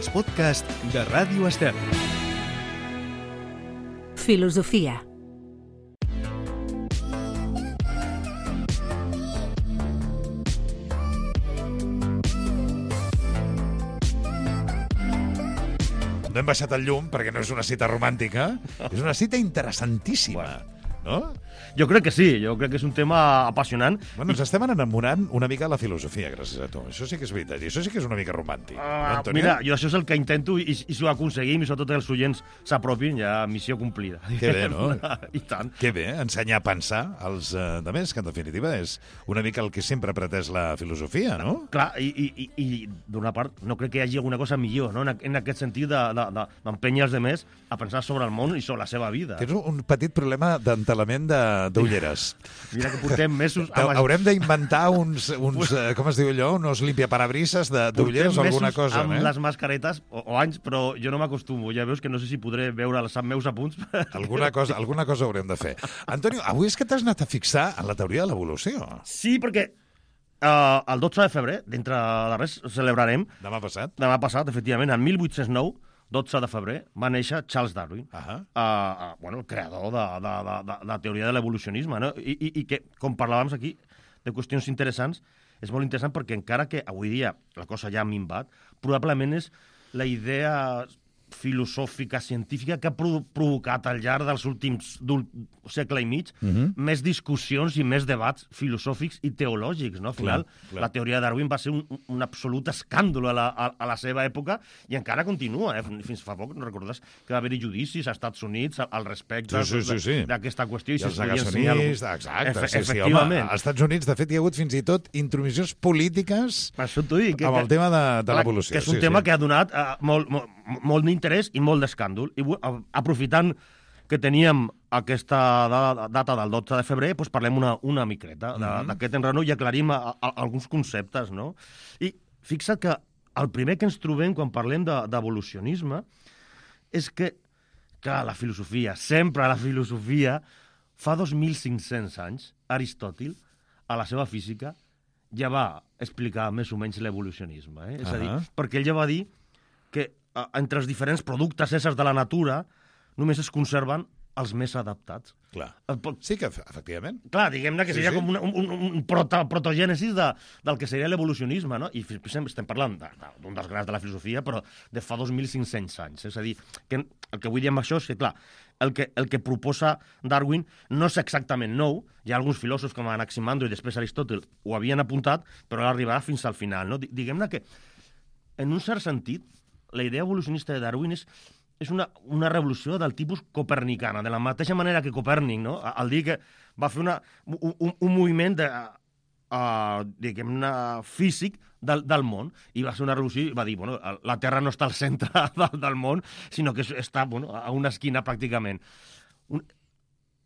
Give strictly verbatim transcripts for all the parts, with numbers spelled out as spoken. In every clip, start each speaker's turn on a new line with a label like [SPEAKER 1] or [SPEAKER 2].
[SPEAKER 1] els podcasts de Ràdio Estel.
[SPEAKER 2] Filosofia.
[SPEAKER 3] No hem baixat el llum perquè no és una cita romàntica, és una cita interessantíssima. No?
[SPEAKER 4] Jo crec que sí, jo crec que és un tema apassionant.
[SPEAKER 3] Bueno, ens estem enamorant una mica de la filosofia, gràcies a tu. Això sí que és veritat, i això sí que és una mica romàntic.
[SPEAKER 4] Uh,
[SPEAKER 3] no, Antonio?
[SPEAKER 4] Mira, jo això és el que intento i, i si ho aconseguim i sobretot els oients s'apropin, ja missió complida.
[SPEAKER 3] Que bé, no?
[SPEAKER 4] I tant.
[SPEAKER 3] Que bé, ensenyar a pensar als uh, altres, que en definitiva és una mica el que sempre ha pretès la filosofia, no?
[SPEAKER 4] Clar, i, i, i, i d'una part no crec que hi hagi alguna cosa millor, no? En, en aquest sentit d'empènyer els altres a pensar sobre el món i sobre la seva vida.
[SPEAKER 3] Tens un petit problema d'entelament de d'ulleres.
[SPEAKER 4] Mira que portem mesos...
[SPEAKER 3] Amb... Haurem d'inventar uns, uns uh, com es diu allò, uns limpiaparabrises d'ulleres o alguna cosa.
[SPEAKER 4] Amb
[SPEAKER 3] eh?
[SPEAKER 4] les mascaretes, o, o anys, però jo no m'acostumo. Ja veus que no sé si podré veure els meus apunts.
[SPEAKER 3] Alguna cosa, alguna cosa haurem de fer. Antonio, avui és que t'has anat a fixar en la teoria de l'evolució.
[SPEAKER 4] Sí, perquè uh, el dotze de febrer, d'entre de res, celebrarem...
[SPEAKER 3] Demà passat?
[SPEAKER 4] Demà passat, efectivament, en mil vuit-cents nou, dotze de febrer, va néixer Charles Darwin, uh -huh. uh, uh, bueno, el creador de, de, de, de la teoria de l'evolucionisme, no? I, i, i que, com parlàvem aquí, de qüestions interessants, és molt interessant perquè encara que avui dia la cosa ja ha minvat, probablement és la idea filosòfica, científica, que ha provocat al llarg dels últims segle i mig uh -huh. més discussions i més debats filosòfics i teològics, no? Al final, clar, clar. La teoria de Darwin va ser un, un absolut escàndol a la, a, a la seva època i encara continua, eh? Fins fa poc, no recordes que va haver-hi judicis als Estats Units al respecte
[SPEAKER 3] sí, sí, sí, sí.
[SPEAKER 4] d'aquesta qüestió.
[SPEAKER 3] I, I els negacionistes, exacte.
[SPEAKER 4] Efe,
[SPEAKER 3] sí, sí, home, als Estats Units, de fet, hi ha hagut fins i tot intromissions polítiques
[SPEAKER 4] dic,
[SPEAKER 3] amb el
[SPEAKER 4] que,
[SPEAKER 3] tema de, de l'evolució.
[SPEAKER 4] Que és un
[SPEAKER 3] sí,
[SPEAKER 4] tema
[SPEAKER 3] sí.
[SPEAKER 4] que ha donat uh, molt, molt, molt d'interès i molt d'escàndol. I aprofitant que teníem aquesta data del dotze de febrer, doncs parlem una, una micreta d'aquest enrenou i aclarim a, a, alguns conceptes, no? I fixa't que el primer que ens trobem quan parlem d'evolucionisme és que, clar, la filosofia, sempre la filosofia, fa dos mil cinc-cents anys, Aristòtil, a la seva física, ja va explicar més o menys l'evolucionisme. Eh? És uh -huh. a dir, perquè ell ja va dir que entre els diferents productes éssers de la natura només es conserven els més adaptats.
[SPEAKER 3] Clar. Sí que, efectivament.
[SPEAKER 4] Clar, diguem-ne que seria sí, sí. com un, un, un proto, protogènesis de, del que seria l'evolucionisme, no? I estem parlant d'un dels grans de la filosofia, però de fa dos mil cinc-cents anys. És a dir, que el que vull dir amb això és que, clar, el que, el que proposa Darwin no és exactament nou. Hi ha alguns filòsofs com Anaximandro i després Aristòtil ho havien apuntat, però arribarà fins al final, no? Diguem-ne que, en un cert sentit, la idea evolucionista de Darwin és, és una, una revolució del tipus copernicana, de la mateixa manera que Copèrnic, no? Al dir que va fer una, un, un moviment de, uh, diguem-ne, físic del, del món, i va ser una revolució i va dir, bueno, la Terra no està al centre del, del món, sinó que està, bueno, a una esquina pràcticament.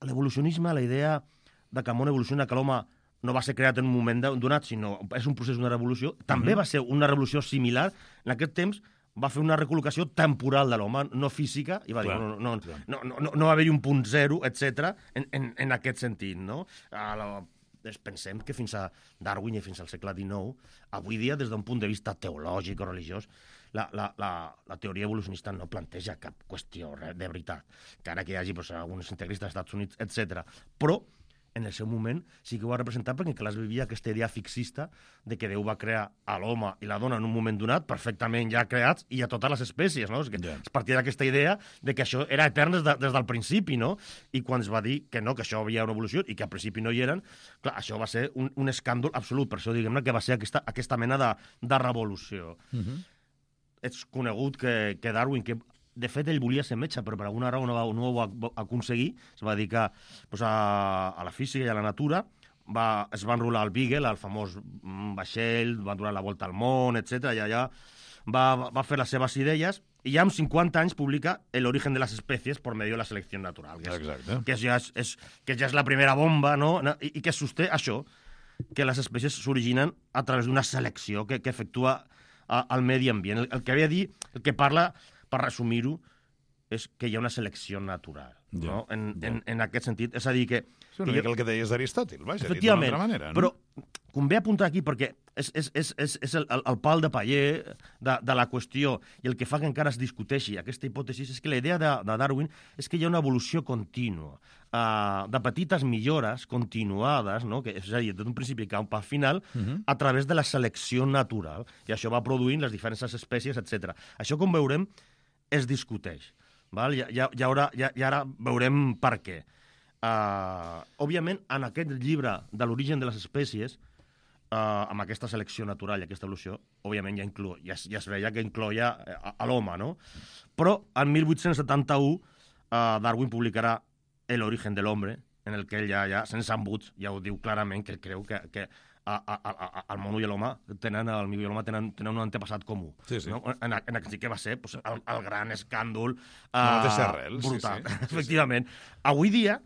[SPEAKER 4] L'evolucionisme, la idea de que el món evoluciona, que l'home no va ser creat en un moment donat, sinó és un procés d'una revolució, també uh -huh. va ser una revolució similar. En aquest temps va fer una recol·locació temporal de l'home, no física, i va clar, dir, no, no, no, no, no, no va haver-hi un punt zero, etcètera, en, en, en aquest sentit, no? La, pensem que fins a Darwin i fins al segle dinou, avui dia, des d'un punt de vista teològic o religiós, la, la, la, la teoria evolucionista no planteja cap qüestió de veritat, que ara que hi hagi doncs, alguns integristes dels Estats Units, etcètera. Però en el seu moment sí que ho va representar perquè clar, es vivia aquesta idea fixista de que Déu va crear a l'home i la dona en un moment donat, perfectament ja creats, i a totes les espècies, no? És, que yeah. es partia d'aquesta idea de que això era etern des, de, des del principi, no? I quan es va dir que no, que això havia una evolució i que al principi no hi eren, clar, això va ser un, un escàndol absolut, per això diguem-ne que va ser aquesta, aquesta mena de, de revolució. Uh -huh. És conegut que, que Darwin, que de fet, ell volia ser metge, però per alguna raó no, va, no ho va aconseguir. Es va dedicar pues, a, a la física i a la natura. Va, es va enrolar al Beagle, el famós vaixell, va donar la volta al món, etcètera. I allà va, va fer les seves idees i ja amb cinquanta anys publica El origen de les espècies per medio de la selecció natural. Que, és, que, ja és, és, que ja és la primera bomba, no? I, i que sosté això, que les espècies s'originen a través d'una selecció que, que efectua a, al medi ambient. El, el que havia dit, el que parla... per resumir-ho, és que hi ha una selecció natural.
[SPEAKER 3] Ja,
[SPEAKER 4] no? en,
[SPEAKER 3] ja.
[SPEAKER 4] en, en aquest sentit. És a dir, que...
[SPEAKER 3] És una
[SPEAKER 4] que
[SPEAKER 3] mica el que deies d'Aristòtil, vaja, dit d'una
[SPEAKER 4] efectivament,
[SPEAKER 3] altra manera. No?
[SPEAKER 4] però convé apuntar aquí perquè és, és, és, és, és el, el pal de paller de, de la qüestió i el que fa que encara es discuteixi aquesta hipòtesi és que la idea de, de Darwin és que hi ha una evolució contínua, uh, de petites millores continuades, no? Que, és a dir, d'un principi cap al final, uh-huh. a través de la selecció natural, i això va produint les diferents espècies, etcètera. Això, com veurem, es discuteix. Val? Ja, ja, ja, haurà, ja, ja ara veurem per què. Uh, òbviament, en aquest llibre de l'origen de les espècies, uh, amb aquesta selecció natural i aquesta evolució, òbviament ja, inclou, ja, ja es veia que incloia a, a l'home, no? Però en mil vuit-cents setanta-u uh, Darwin publicarà El origen de l'hombre, en el que ell ja, ja sense embuts, ja ho diu clarament, que creu que, que a, a, a, el mono i l'home tenen, el mico i l'home tenen, tenen un antepassat comú.
[SPEAKER 3] Sí, sí.
[SPEAKER 4] No? En, en el que va ser pues, el, el gran escàndol uh,
[SPEAKER 3] arrel,
[SPEAKER 4] brutal.
[SPEAKER 3] sí, sí.
[SPEAKER 4] Efectivament. Avui dia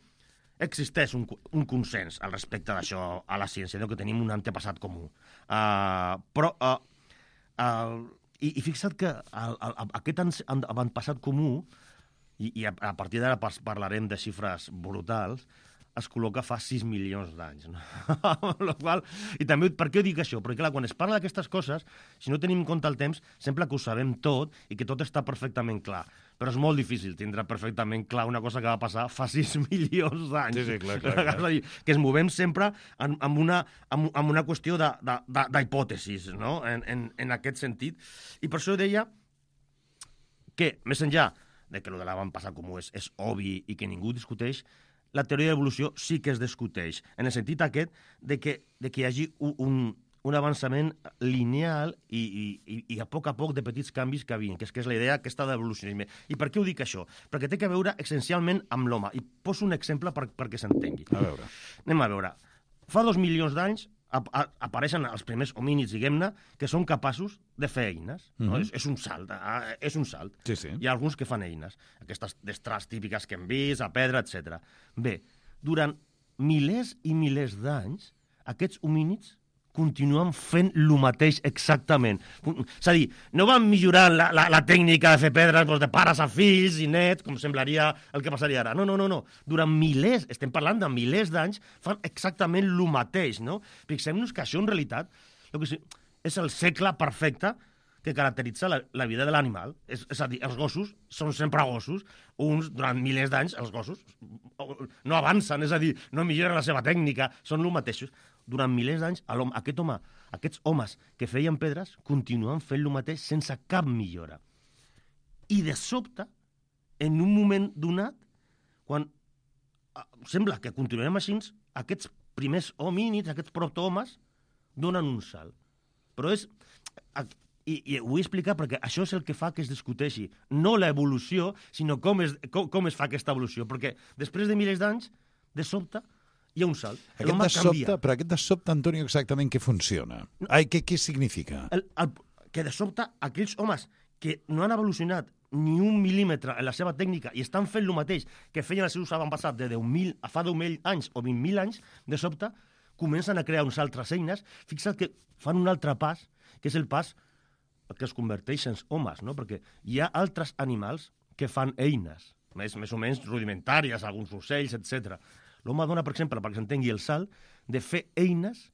[SPEAKER 4] existeix un, un consens al respecte d'això a la ciència, no? Que tenim un antepassat comú. Uh, però, uh, uh, i, i fixa't que el, el, aquest avantpassat comú, i, i a, a partir d'ara parlarem de xifres brutals, es col·loca fa sis milions d'anys. No? qual, I també, per què ho dic això? Perquè, clar, quan es parla d'aquestes coses, si no tenim en compte el temps, sembla que ho sabem tot i que tot està perfectament clar. Però és molt difícil tindre perfectament clar una cosa que va passar fa sis milions d'anys.
[SPEAKER 3] Sí, sí, clar, clar, clar.
[SPEAKER 4] És a dir, que ens movem sempre en, en, una, en, en una qüestió d'hipòtesis, no? En, en, en aquest sentit. I per això deia que, més enllà de que el de l'avantpassat comú és, és obvi i que ningú discuteix, la teoria de l'evolució sí que es discuteix, en el sentit aquest de que, de que hi hagi un, un avançament lineal i, i, i a poc a poc de petits canvis que vinguin, que és, que és la idea aquesta d'evolucionisme. I per què ho dic això? Perquè té a veure essencialment amb l'home. I poso un exemple per, perquè s'entengui.
[SPEAKER 3] A veure.
[SPEAKER 4] Anem a veure. Fa dos milions d'anys ap apareixen els primers homínids, diguem-ne, que són capaços de fer eines. No?
[SPEAKER 3] Mm-hmm.
[SPEAKER 4] és, és un salt. Eh? És un salt.
[SPEAKER 3] Sí, sí.
[SPEAKER 4] Hi ha alguns que fan eines. Aquestes destrals típiques que hem vist, a pedra, etcètera. Bé, durant milers i milers d'anys, aquests homínids continuen fent el mateix exactament. És a dir, no van millorant la, la, la tècnica de fer pedres doncs, de pares a fills i nets, com semblaria el que passaria ara. No, no, no, no. Durant milers, estem parlant de milers d'anys, fan exactament el mateix, no? Fixem-nos que això, en realitat, el que és el segle perfecte que caracteritza la, la vida de l'animal. És, és a dir, els gossos són sempre gossos. Uns, durant milers d'anys, els gossos no avancen, és a dir, no milloren la seva tècnica, són els mateixos. Durant milers d'anys, aquest home, aquests homes que feien pedres continuen fent el mateix sense cap millora. I de sobte, en un moment donat, quan sembla que continuem així, aquests primers homínids, aquests protohomes, donen un salt. Però és... I, i ho vull explicar perquè això és el que fa que es discuteixi. No l'evolució, sinó com es, com, com es fa aquesta evolució. Perquè després de milers d'anys, de sobte, hi ha un salt.
[SPEAKER 3] Aquest de sobte, però aquest de sobte, Antonio, exactament què funciona? Ai, què, què significa?
[SPEAKER 4] El, el, que de sobte aquells homes que no han evolucionat ni un mil·límetre en la seva tècnica i estan fent el mateix que feien els seus avantpassats de deu mil a fa deu mil anys o vint mil anys, de sobte comencen a crear uns altres eines. Fixa't que fan un altre pas, que és el pas que es converteix en homes, no? Perquè hi ha altres animals que fan eines, més, més o menys rudimentàries, alguns ocells, etcètera. L'home dona, per exemple, perquè s'entengui el salt, de fer eines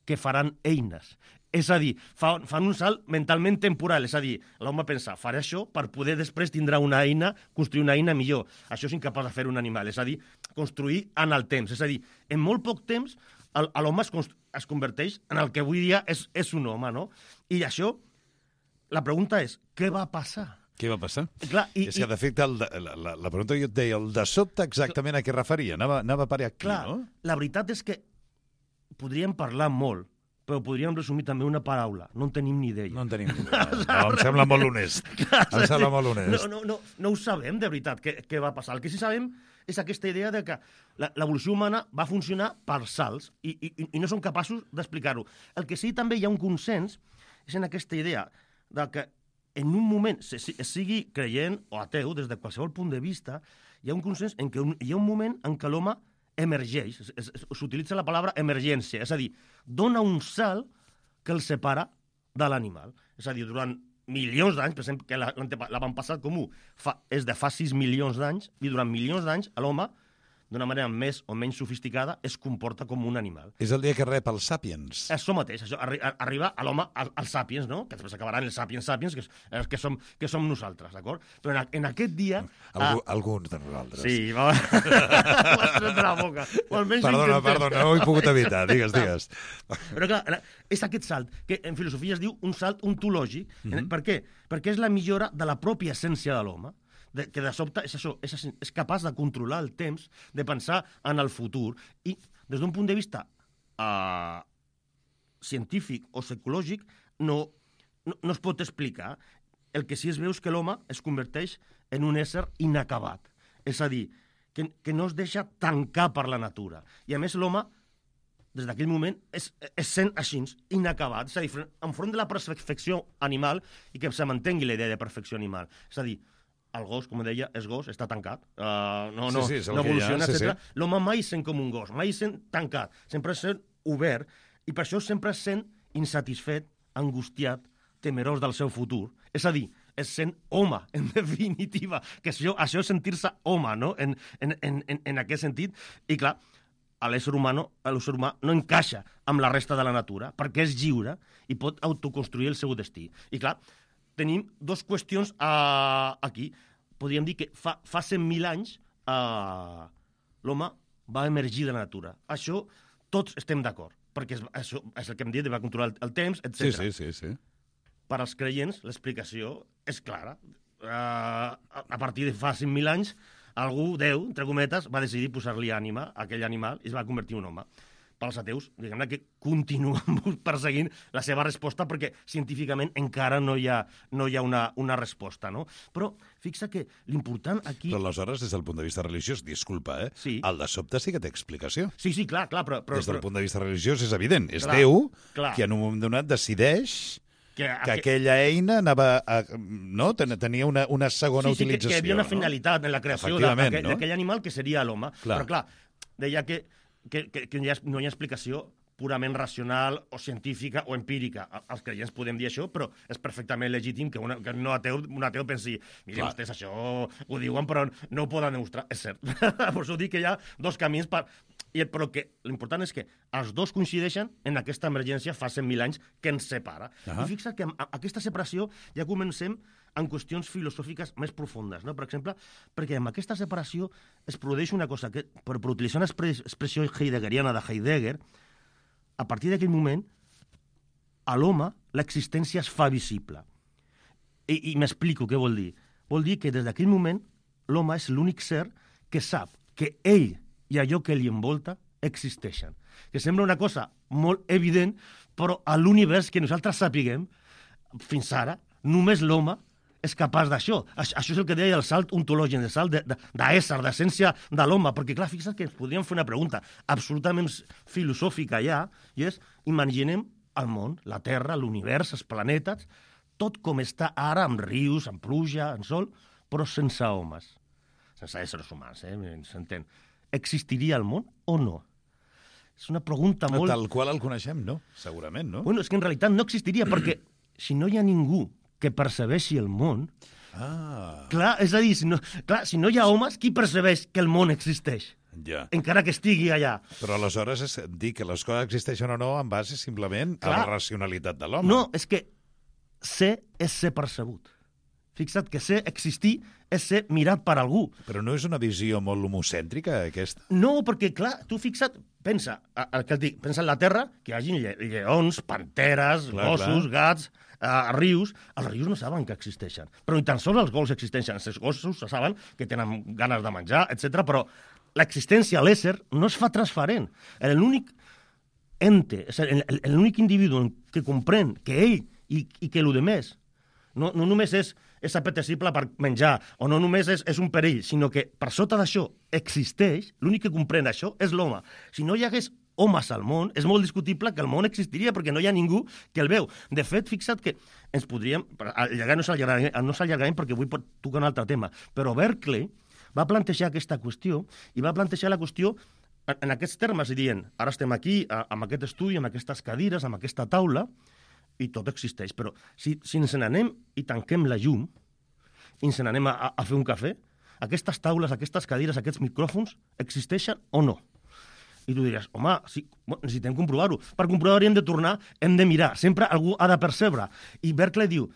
[SPEAKER 4] que faran eines. És a dir, fa, fan un salt mentalment temporal, és a dir, l'home pensa, faré això per poder després tindrà una eina, construir una eina millor. Això és incapaç de fer un animal, és a dir, construir en el temps. És a dir, en molt poc temps l'home es, es converteix en el que avui dia és, és un home, no? I això, la pregunta és, què va passar?
[SPEAKER 3] Què va passar?
[SPEAKER 4] Clar, i,
[SPEAKER 3] és que, de fet, el, la, la, la pregunta que jo et deia, el de sobte exactament a què referia? Anava, anava a parar aquí,
[SPEAKER 4] clar,
[SPEAKER 3] no?
[SPEAKER 4] La veritat és que podríem parlar molt, però podríem resumir també una paraula. No en tenim ni idea.
[SPEAKER 3] No en tenim ni idea. No, em sembla molt honest. Clar, em sembla molt honest.
[SPEAKER 4] No, no, no, no ho sabem, de veritat, què, què va passar. El que sí sabem és aquesta idea de que l'evolució humana va funcionar per salts i, i, i no som capaços d'explicar-ho. El que sí també hi ha un consens és en aquesta idea de que en un moment, es sigui creient o ateu, des de qualsevol punt de vista, hi ha un consens en què hi ha un moment en què l'home emergeix, s'utilitza la paraula emergència, és a dir, dona un salt que el separa de l'animal. És a dir, durant milions d'anys, per exemple, que l'avantpassat comú fa, és de fa sis milions d'anys, i durant milions d'anys l'home, d'una manera més o menys sofisticada, es comporta com un animal.
[SPEAKER 3] És el dia que rep els Sàpiens.
[SPEAKER 4] Això mateix, això, arri arriba a l'home, al, als Sàpiens, no? Que després acabaran els Sàpiens Sàpiens, que, és, que, som, que som nosaltres, d'acord? Però en, en aquest dia...
[SPEAKER 3] Algú,
[SPEAKER 4] uh,
[SPEAKER 3] alguns de nosaltres.
[SPEAKER 4] Sí, va... M'has tret de la boca. O almenys
[SPEAKER 3] perdona, perdona, no ho he pogut evitar, digues, digues.
[SPEAKER 4] Però clar, és aquest salt, que en filosofia es diu un salt ontològic. Mm-hmm. Per què? Perquè és la millora de la pròpia essència de l'home, de, que de sobte és això, és, és capaç de controlar el temps, de pensar en el futur, i des d'un punt de vista uh, científic o psicològic no, no, no es pot explicar. El que sí es veu és que l'home es converteix en un ésser inacabat, és a dir, que, que no es deixa tancar per la natura. I a més l'home, des d'aquell moment, es, es sent així, inacabat, és a dir, enfront de la perfecció animal, i que se mantengui la idea de perfecció animal. És a dir, el gos, com deia, és gos, està tancat, uh, no, no,
[SPEAKER 3] sí, sí,
[SPEAKER 4] no evoluciona,
[SPEAKER 3] sí,
[SPEAKER 4] etcètera.
[SPEAKER 3] Sí.
[SPEAKER 4] L'home mai sent com un gos, mai sent tancat, sempre sent obert, i per això sempre sent insatisfet, angustiat, temerós del seu futur. És a dir, és sent home, en definitiva, que això, això és sentir-se home, no?, en, en, en, en aquest sentit. I clar, l'ésser humà, l'ésser humà no encaixa amb la resta de la natura, perquè és lliure i pot autoconstruir el seu destí. I clar, tenim dues qüestions uh, aquí. Podríem dir que fa, fa cent mil anys uh, l'home va emergir de la natura. Això tots estem d'acord, perquè és, això és el que hem dit, va controlar el, el temps, etcètera.
[SPEAKER 3] Sí, sí, sí, sí.
[SPEAKER 4] Per als creients, l'explicació és clara. Uh, a, a partir de fa cent mil anys, algú, Déu, entre cometes, va decidir posar-li ànima a aquell animal i es va convertir en un home. Pels ateus, diguem-ne que continuen perseguint la seva resposta perquè científicament encara no hi ha, no hi ha una, una resposta, no? Però fixa que l'important aquí...
[SPEAKER 3] Però aleshores, des del punt de vista religiós, disculpa, eh?
[SPEAKER 4] Sí.
[SPEAKER 3] El de sobte sí que té explicació.
[SPEAKER 4] Sí, sí, clar, clar, però... però
[SPEAKER 3] des del
[SPEAKER 4] però...
[SPEAKER 3] punt de vista religiós és evident. És
[SPEAKER 4] clar,
[SPEAKER 3] Déu
[SPEAKER 4] clar.
[SPEAKER 3] qui en un moment donat decideix
[SPEAKER 4] que,
[SPEAKER 3] que aquella eina anava a, no? tenia una, una segona
[SPEAKER 4] sí, sí,
[SPEAKER 3] utilització.
[SPEAKER 4] Que, que hi havia una finalitat
[SPEAKER 3] no?
[SPEAKER 4] en la creació
[SPEAKER 3] d'aquell
[SPEAKER 4] d'aquell
[SPEAKER 3] no?
[SPEAKER 4] animal que seria l'home.
[SPEAKER 3] Clar.
[SPEAKER 4] Però clar, deia que Que, que, que no, hi ha, no hi ha explicació purament racional o científica o empírica. Els creients podem dir això, però és perfectament legítim que, una, que no ateu, un ateu pensi mira, vostès això ho diuen, però no ho poden demostrar. És cert. Per això dic que hi ha dos camins, per... I, però que l'important és que els dos coincideixen en aquesta emergència fa cent mil anys que ens separa. Uh -huh. I fixa't que amb aquesta separació ja comencem en qüestions filosòfiques més profundes, no? Per exemple, perquè amb aquesta separació es produeix una cosa que, per, per utilitzar una expressió heideggeriana de Heidegger, a partir d'aquell moment, a l'home l'existència es fa visible. I, i m'explico què vol dir. Vol dir que des d'aquell moment l'home és l'únic ser que sap que ell i allò que li envolta existeixen. Que sembla una cosa molt evident, però a l'univers que nosaltres sapiguem, fins ara, només l'home és capaç d'això. Això és el que deia el salt ontològic, el salt d'ésser, d'essència de l'home, perquè clar, fixa't que ens podríem fer una pregunta absolutament filosòfica ja, i és, imaginem el món, la Terra, l'univers, els planetes, tot com està ara, amb rius, amb pluja, amb sol, però sense homes, sense éssers humans, eh? S'entén. Existiria el món o no? És una pregunta molt...
[SPEAKER 3] Tal qual el coneixem, no? Segurament, no?
[SPEAKER 4] Bueno, és que en realitat no existiria, perquè si no hi ha ningú que percebeixi el món...
[SPEAKER 3] Ah.
[SPEAKER 4] Clar, és a dir, si no, clar, si no hi ha homes, qui percebeix que el món existeix?
[SPEAKER 3] Ja.
[SPEAKER 4] Encara que estigui allà.
[SPEAKER 3] Però aleshores és dir que les coses existeixen o no en base simplement clar. a la racionalitat de l'home.
[SPEAKER 4] No, és que ser és ser percebut. Fixa't que ser, existir, és ser mirat per algú.
[SPEAKER 3] Però no és una visió molt homocèntrica, aquesta?
[SPEAKER 4] No, perquè, clar, tu fixa't, pensa, el que et dic, pensa en la Terra, que hi hagi lle lleons, panteres, clar, gossos, clar. gats, uh, rius. Els rius no saben que existeixen, però ni tan sols els gossos existeixen. Els gossos saben que tenen ganes de menjar, etcètera, però l'existència, l'ésser, no es fa transparent. L'únic ente, l'únic individu que comprèn que ell i, i que el demés no, no només és, és apetecible per menjar, o no només és, és un perill, sinó que per sota d'això existeix, l'únic que comprèn això és l'home. Si no hi hagués homes al món, és molt discutible que el món existiria perquè no hi ha ningú que el veu. De fet, fixa't que ens podríem... Allargar no s'allargarem no s'allargarem perquè vull tocar un altre tema, però Berkeley va plantejar aquesta qüestió i va plantejar la qüestió en aquests termes, dient, ara estem aquí amb aquest estudi, amb aquestes cadires, amb aquesta taula, i tot existeix. Però si, si ens n'anem i tanquem la llum i ens n'anem a, a fer un cafè, aquestes taules, aquestes cadires, aquests micròfons existeixen o no? I tu diries, home, sí, necessitem comprovar-ho. Per comprovar-ho hem de tornar, hem de mirar. Sempre algú ha de percebre. I Berkeley diu,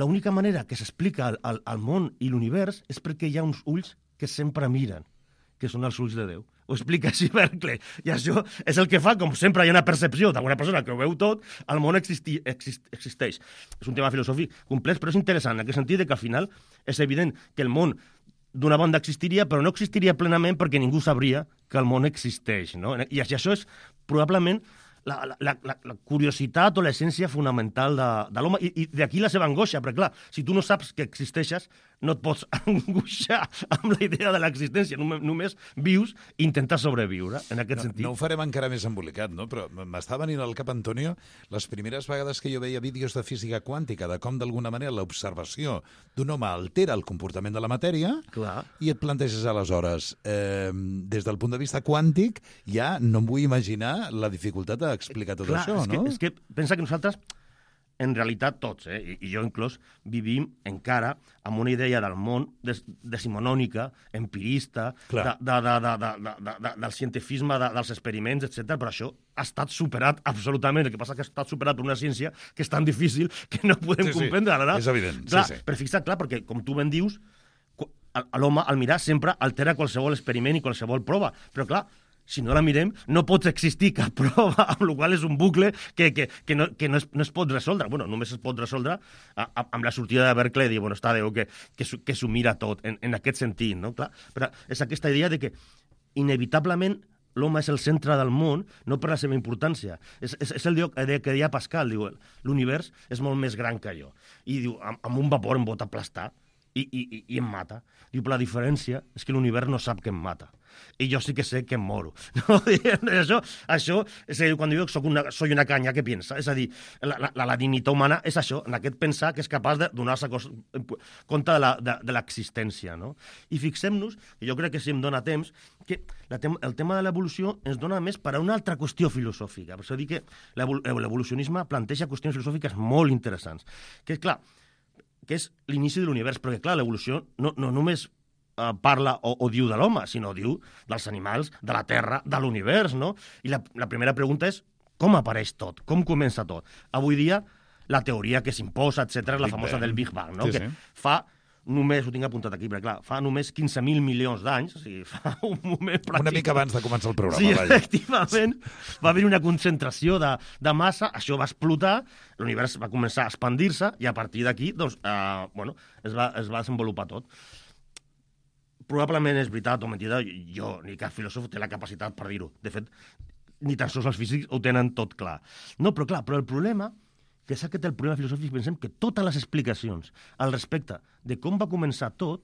[SPEAKER 4] l'única manera que s'explica el, el, el món i l'univers és perquè hi ha uns ulls que sempre miren, que són els ulls de Déu. Ho explica així Berkeley. I això és el que fa, com sempre hi ha una percepció d'alguna persona que ho veu tot, el món existi, exist, existeix. És un tema filosòfic complex, però és interessant, en aquest sentit que al final és evident que el món d'una banda existiria, però no existiria plenament perquè ningú sabria que el món existeix, no? I això és probablement la, la, la, la curiositat o l'essència fonamental de, de l'home, i, i d'aquí la seva angoixa, perquè clar, si tu no saps que existeixes, no et pots angoixar amb la idea de l'existència, només, només vius i intentes sobreviure, en aquest
[SPEAKER 3] no,
[SPEAKER 4] sentit.
[SPEAKER 3] No ho farem encara més embolicat, no? Però m'està venint al cap, Antonio, les primeres vegades que jo veia vídeos de física quàntica, de com d'alguna manera l'observació d'un home altera el comportament de la matèria,
[SPEAKER 4] clar.
[SPEAKER 3] I et planteges aleshores, eh, des del punt de vista quàntic, ja no em vull imaginar la dificultat d'explicar tot
[SPEAKER 4] clar,
[SPEAKER 3] això,
[SPEAKER 4] és
[SPEAKER 3] no?
[SPEAKER 4] Que, és que pensa que nosaltres, en realitat tots, eh, i, i jo inclòs, vivim encara amb una idea del món des, decimonònica, empirista, de, de, de, de, de, de, de, del cientifisme, de, dels experiments, etcètera. Però això ha estat superat absolutament. El que passa és que ha estat superat per una ciència que és tan difícil que no podem
[SPEAKER 3] sí,
[SPEAKER 4] comprendre.
[SPEAKER 3] Sí,
[SPEAKER 4] no?
[SPEAKER 3] és evident.
[SPEAKER 4] Clar,
[SPEAKER 3] sí, sí.
[SPEAKER 4] però fixa't, clar, perquè com tu ben dius, l'home, al mirar, sempre altera qualsevol experiment i qualsevol prova. Però clar, si no la mirem, no pot existir cap prova, amb la qual és un bucle que, que, que, no, que no, es, no es pot resoldre. Bueno, només es pot resoldre a, a, amb la sortida de Berkeley, dir, bueno, està Déu, que, que, que s'ho mira tot, en, en aquest sentit, no? Clar, però és aquesta idea de que, inevitablement, l'home és el centre del món, no per la seva importància. És, és, és el que deia Pascal, diu, l'univers és molt més gran que jo. I diu, amb, amb un vapor em pot aplastar i, i, i em mata. Diu, però la diferència és que l'univers no sap que em mata. I jo sí que sé que em moro. No? això, això és a dir, quan diu que soc una, soy una canya, què pensa? És a dir, la, la, la dignitat humana és això, en aquest pensar que és capaç de donar-se compte de l'existència. No? I fixem-nos, i jo crec que si em dona temps, que la tem el tema de l'evolució ens dona més per a una altra qüestió filosòfica. Per això dic que l'evolucionisme planteja qüestions filosòfiques molt interessants. Que és clar, que és l'inici de l'univers, perquè clar, l'evolució no, no només eh, parla o, o diu de l'home, sinó diu dels animals, de la Terra, de l'univers, no? I la, la primera pregunta és com apareix tot, com comença tot. Avui dia, la teoria que s'imposa, etcètera, és la famosa Bang. del Big Bang, no?
[SPEAKER 3] Sí,
[SPEAKER 4] que
[SPEAKER 3] sí.
[SPEAKER 4] fa només, ho tinc apuntat aquí, perquè clar, fa només quinze mil milions d'anys, o sigui, fa un moment pràctic.
[SPEAKER 3] Una mica abans de començar el programa,
[SPEAKER 4] sí,
[SPEAKER 3] vaja.
[SPEAKER 4] Efectivament, va haver una concentració de, de massa, això va explotar, l'univers va començar a expandir-se, i a partir d'aquí, doncs, eh, bueno, es va, es va desenvolupar tot. Probablement és veritat o mentida, jo, ni cap filòsof té la capacitat per dir-ho. De fet, ni tan sols els físics ho tenen tot clar. No, però clar, però el problema que és aquest el problema filosòfic, pensem que totes les explicacions al respecte de com va començar tot,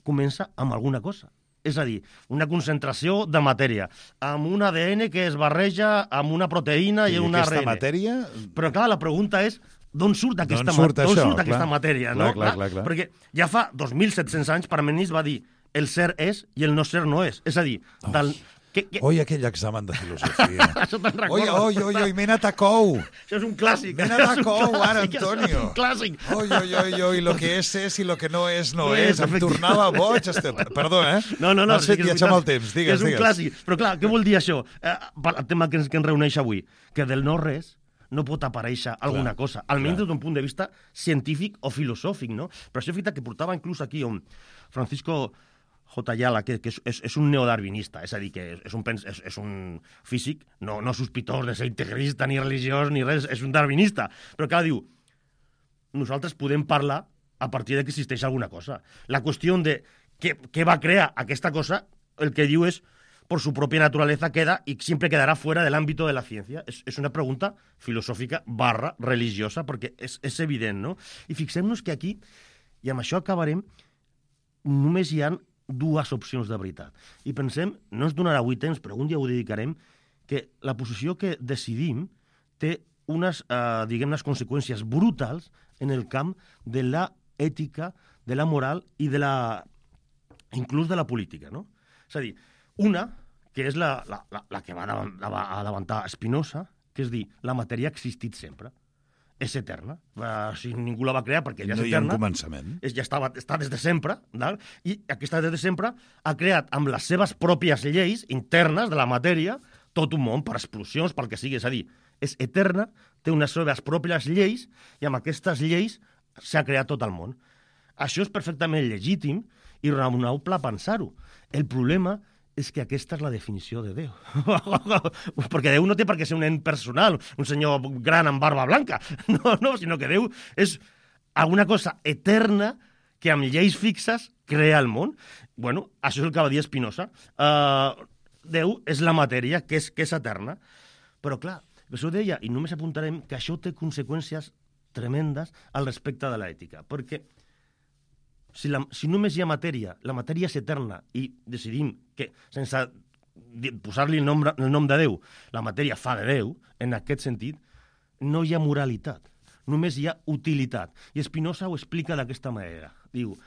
[SPEAKER 4] comença amb alguna cosa. És a dir, una concentració de matèria, amb un A D N que es barreja amb una proteïna i, i un A R N.
[SPEAKER 3] I aquesta matèria...
[SPEAKER 4] Però clar, la pregunta és d'on surt aquesta,
[SPEAKER 3] surt
[SPEAKER 4] ma
[SPEAKER 3] això,
[SPEAKER 4] surt aquesta matèria, no?
[SPEAKER 3] Clar, clar, clar, clar.
[SPEAKER 4] Perquè ja fa dos mil set-cents anys Parmenís va dir el ser és i el no ser no és. És a dir,
[SPEAKER 3] oh.
[SPEAKER 4] del... Que, que...
[SPEAKER 3] Oi, aquell examen de filosofia.
[SPEAKER 4] Això te'n recordes?
[SPEAKER 3] Oi, oi, oi, oi, m'he anat a cou.
[SPEAKER 4] Això és un clàssic.
[SPEAKER 3] M'he anat a cou, ara, Antonio.
[SPEAKER 4] És un clàssic.
[SPEAKER 3] Oi, oi, oi, oi, lo que és és i lo que no és no,
[SPEAKER 4] no
[SPEAKER 3] és.
[SPEAKER 4] és
[SPEAKER 3] Em tornava boig. Este... Perdó, eh?
[SPEAKER 4] No, no, no.
[SPEAKER 3] M'has fet viatjar amb el temps. Digues,
[SPEAKER 4] és un
[SPEAKER 3] digues.
[SPEAKER 4] clàssic. Però clar, què vol dir això? Eh, el tema que ens, que ens reuneix avui. Que del no res no pot aparèixer alguna clar, cosa, almenys des d'un punt de vista científic o filosòfic, no? Però això és veritat que portava inclús aquí un Francisco J. Ayala, que, que és, és un neodarwinista, és a dir, que és un, és, és un físic no, no sospitós de ser integrista, ni religiós, ni res, és un darwinista. Però clar, diu, nosaltres podem parlar a partir de que existeix alguna cosa. La qüestió de què, què va crear aquesta cosa, el que diu és, por su propia naturaleza queda y siempre quedará fuera del ámbito de la ciencia. Es, es una pregunta filosòfica barra religiosa, perquè és, és evident, no? I fixem-nos que aquí, i amb això acabarem, només hi ha dues opcions de veritat. I pensem, no ens donarà avui temps, però un dia ho dedicarem, que la posició que decidim té unes, eh, diguem, unes conseqüències brutals en el camp de la ètica, de la moral i de la... inclús de la política, no? És a dir, una, que és la, la, la, la que va adavantar Spinoza, que és dir, la matèria ha existit sempre. és eterna. Uh, si ningú la va crear perquè ja és
[SPEAKER 3] no hi ha un
[SPEAKER 4] eterna.
[SPEAKER 3] començament.
[SPEAKER 4] És, ja estava, està des de sempre, val? I aquesta des de sempre ha creat amb les seves pròpies lleis internes de la matèria tot un món per explosions, pel que sigui. És a dir, és eterna, té unes seves pròpies lleis i amb aquestes lleis s'ha creat tot el món. Això és perfectament legítim i raonable pensar-ho. El problema és que aquesta és la definició de Déu. Perquè Déu no té per què ser un ent personal, un senyor gran amb barba blanca. No, no, sinó que Déu és alguna cosa eterna que amb lleis fixes crea el món. Bueno, això és el que va dir Spinoza. Uh, Déu és la matèria, que és, que és eterna. Però, clar, això deia, i només apuntarem que això té conseqüències tremendes al respecte de l'ètica. Perquè Si, la, si només hi ha matèria, la matèria és eterna i decidim que, sense posar-li el, nom, el nom de Déu, la matèria fa de Déu, en aquest sentit, no hi ha moralitat, només hi ha utilitat. I Spinoza ho explica d'aquesta manera. Diu,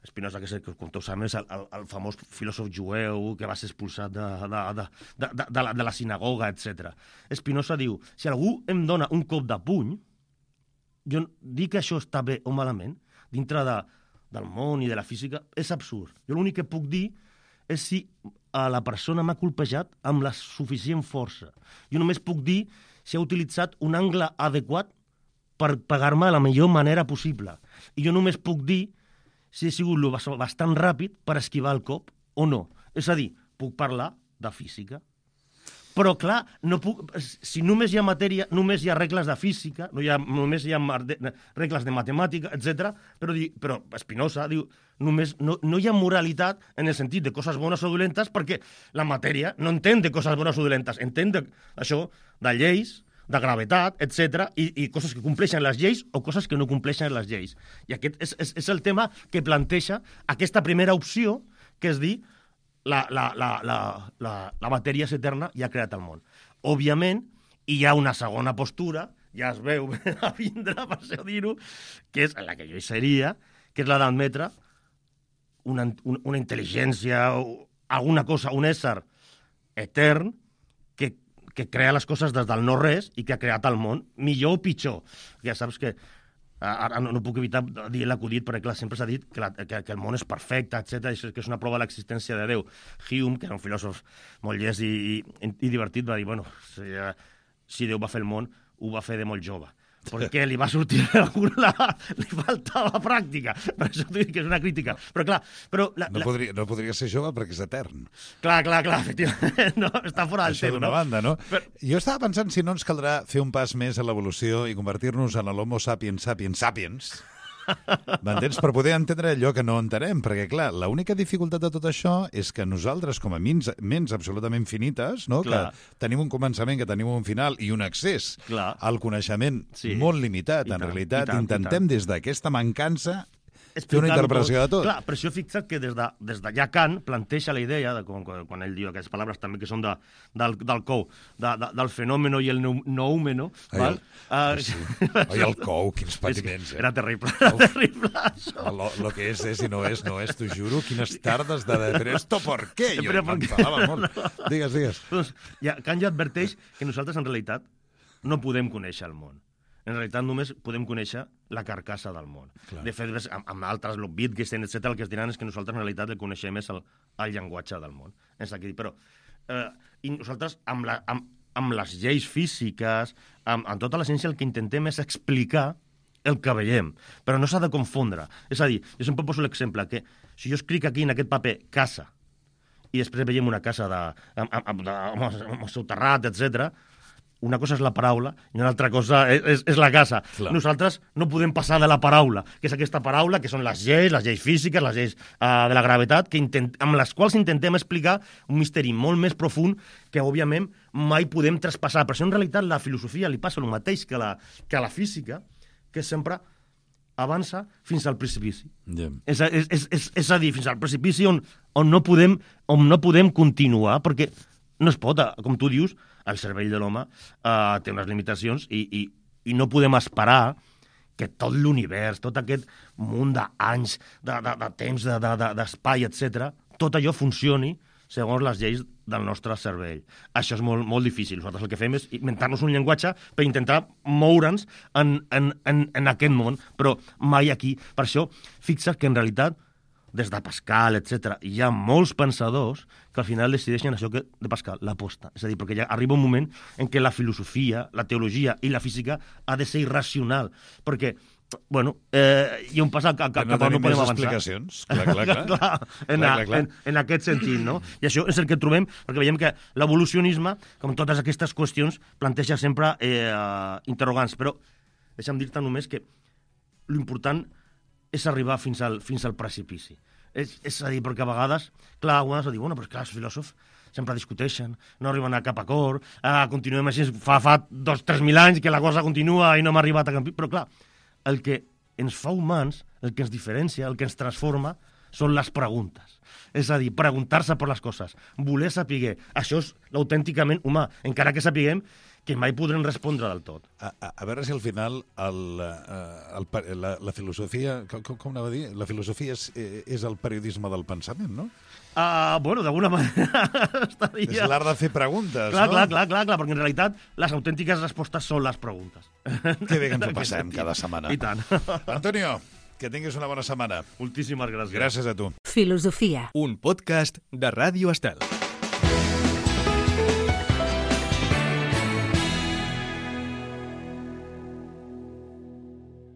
[SPEAKER 4] Spinoza, que és, com tots sabem, és el, el, el famós filòsof jueu que va ser expulsat de, de, de, de, de, de, la, de la sinagoga, etcètera. Spinoza diu, si algú em dona un cop de puny, jo dic que això està bé o malament, dintre de del món i de la física, és absurd. Jo l'únic que puc dir és si a la persona m'ha colpejat amb la suficient força. Jo només puc dir si ha utilitzat un angle adequat per pegar-me de la millor manera possible. I jo només puc dir si he sigut bastant ràpid per esquivar el cop o no. És a dir, puc parlar de física. Però, clar, no puc, si només hi ha matèria, només hi ha regles de física, no hi ha, només hi ha regles de matemàtica, etcètera. Però, però Spinoza diu, només, no, no hi ha moralitat en el sentit de coses bones o dolentes perquè la matèria no entén de coses bones o dolentes, entén de, això de lleis, de gravetat, etcètera, i, i coses que compleixen les lleis o coses que no compleixen les lleis. I aquest és, és, és el tema que planteja aquesta primera opció, que és dir, La, la, la, la, la, la matèria és eterna i ha creat el món. Òbviament, hi ha una segona postura, ja es veu a vindre, per això dir-ho, que és la que jo hi seria, que és la d'admetre una, una intel·ligència, alguna cosa, un ésser etern que, que crea les coses des del no-res i que ha creat el món, millor o pitjor. Ja saps que ara no, no puc evitar dir l'acudit, perquè clar, sempre s'ha dit que, la, que, que el món és perfecte, etcètera, i que és una prova de l'existència de Déu. Hume, que era un filòsof molt llest i, i, i divertit, va dir, bueno, si, si Déu va fer el món, ho va fer de molt jove. Perquè li va sortir la, li faltava pràctica. Per això t'ho dic que és una crítica. Però clar... Però la,
[SPEAKER 3] no, podria, no podria ser jove perquè és etern.
[SPEAKER 4] Clar, clar, clar, efectivament. No, està fora del
[SPEAKER 3] això
[SPEAKER 4] tema,
[SPEAKER 3] d'una
[SPEAKER 4] no?
[SPEAKER 3] banda, no?
[SPEAKER 4] Però...
[SPEAKER 3] Jo estava pensant si no ens caldrà fer un pas més a l'evolució i convertir-nos en l'homo sapiens sapiens sapiens. M'entens? Per poder entendre allò que no entenem, perquè, clar, l'única dificultat de tot això és que nosaltres, com a ments, ments absolutament finites, no? Que tenim un començament, que tenim un final i un accés
[SPEAKER 4] clar. Al
[SPEAKER 3] coneixement sí. molt limitat, I en tant, realitat, tant, intentem des d'aquesta mancança fer una interpretació de tot.
[SPEAKER 4] Clar, però això fixa't que des de, des de ja Kant planteja la idea, de, quan, quan ell diu aquestes paraules també que són de, del, del cou, de, de, del fenòmeno i el noúmeno.
[SPEAKER 3] Ai, el, uh, sí. Ai, el cou, quins patiments. Eh?
[SPEAKER 4] Era terrible, era Uf, terrible, això.
[SPEAKER 3] Lo, lo que és és i no és, no és, t'ho juro, quines tardes de decir esto, ¿por qué? Jo m'enfadava molt. No. Digues, digues.
[SPEAKER 4] Doncs, ja, Kant ja adverteix que nosaltres, en realitat, no podem conèixer el món. En realitat només podem conèixer la carcassa del món. Clar. De fet, amb, amb altres, el Wittgenstein, etcètera, el que es diran és que nosaltres en realitat el coneixem és el, el llenguatge del món. És aquí. Però eh, i nosaltres, amb, la, amb, amb les lleis físiques, amb, amb tota la ciència, el que intentem és explicar el que veiem, però no s'ha de confondre. És a dir, jo sempre poso l'exemple que si jo escric aquí en aquest paper casa i després veiem una casa de, amb, amb, de, amb el seu terrat, etcètera, una cosa és la paraula i una altra cosa és, és, és la casa. Clar. Nosaltres no podem passar de la paraula, que és aquesta paraula, que són les lleis, les lleis físiques, les lleis uh, de la gravetat, que intent, amb les quals intentem explicar un misteri molt més profund que, òbviament, mai podem traspassar. Però això, en realitat, la filosofia li passa el mateix que la, que la física, que sempre avança fins al precipici.
[SPEAKER 3] Yeah.
[SPEAKER 4] És, és, és, és, és a dir, fins al precipici on, on, no podem, on no podem continuar, perquè no es pot, com tu dius, el cervell de l'home uh, té unes limitacions i, i, i no podem esperar que tot l'univers, tot aquest munt d'anys, de, de, de temps, d'espai, de, de, etcètera, tot allò funcioni segons les lleis del nostre cervell. Això és molt, molt difícil. Nosaltres el que fem és inventar-nos un llenguatge per intentar moure'ns en, en, en, en aquest món, però mai aquí. Per això, fixa't que en realitat, des de Pascal, etcètera, hi ha molts pensadors que al final decideixen això que de Pascal, l'aposta. És a dir, perquè ja arriba un moment en què la filosofia, la teologia i la física ha de ser irracional, perquè bueno, eh, hi ha un pas que, que,
[SPEAKER 3] no
[SPEAKER 4] que no podem avançar.
[SPEAKER 3] Explicacions. Clar, clar, clar.
[SPEAKER 4] clar, en,
[SPEAKER 3] clar, clar, clar.
[SPEAKER 4] En, en aquest sentit, no? I això és el que trobem, perquè veiem que l'evolucionisme, com totes aquestes qüestions, planteja sempre eh, interrogants. Però deixa'm dir-te només que l'important és arribar fins al, fins al precipici. És, és a dir, perquè a vegades, clar, algunes diuen, bueno, però clar, els filòsofs sempre discuteixen, no arriben a cap acord, ah, continuem així, fa, fa dos, tres mil anys que la cosa continua i no hem arribat a cap... Però clar, el que ens fa humans, el que ens diferencia, el que ens transforma, són les preguntes. És a dir, preguntar-se per les coses, voler saber. Això és l'autènticament humà, encara que sapiguem que mai podrem respondre del tot.
[SPEAKER 3] A, a, a veure si al final el, el, el, la, la filosofia, com, com anava a dir? La filosofia és, és el periodisme del pensament, no?
[SPEAKER 4] Uh, bueno, d'alguna manera estaria...
[SPEAKER 3] És l'art de fer preguntes,
[SPEAKER 4] clar,
[SPEAKER 3] no?
[SPEAKER 4] Clar, clar, clar, clar, perquè en realitat les autèntiques respostes són les preguntes.
[SPEAKER 3] Que bé que ens ho passem cada setmana.
[SPEAKER 4] I tant.
[SPEAKER 3] Antonio, que tinguis una bona setmana.
[SPEAKER 4] Moltíssimes gràcies.
[SPEAKER 3] Gràcies a tu.
[SPEAKER 1] Filosofia. Un podcast de Ràdio Estel.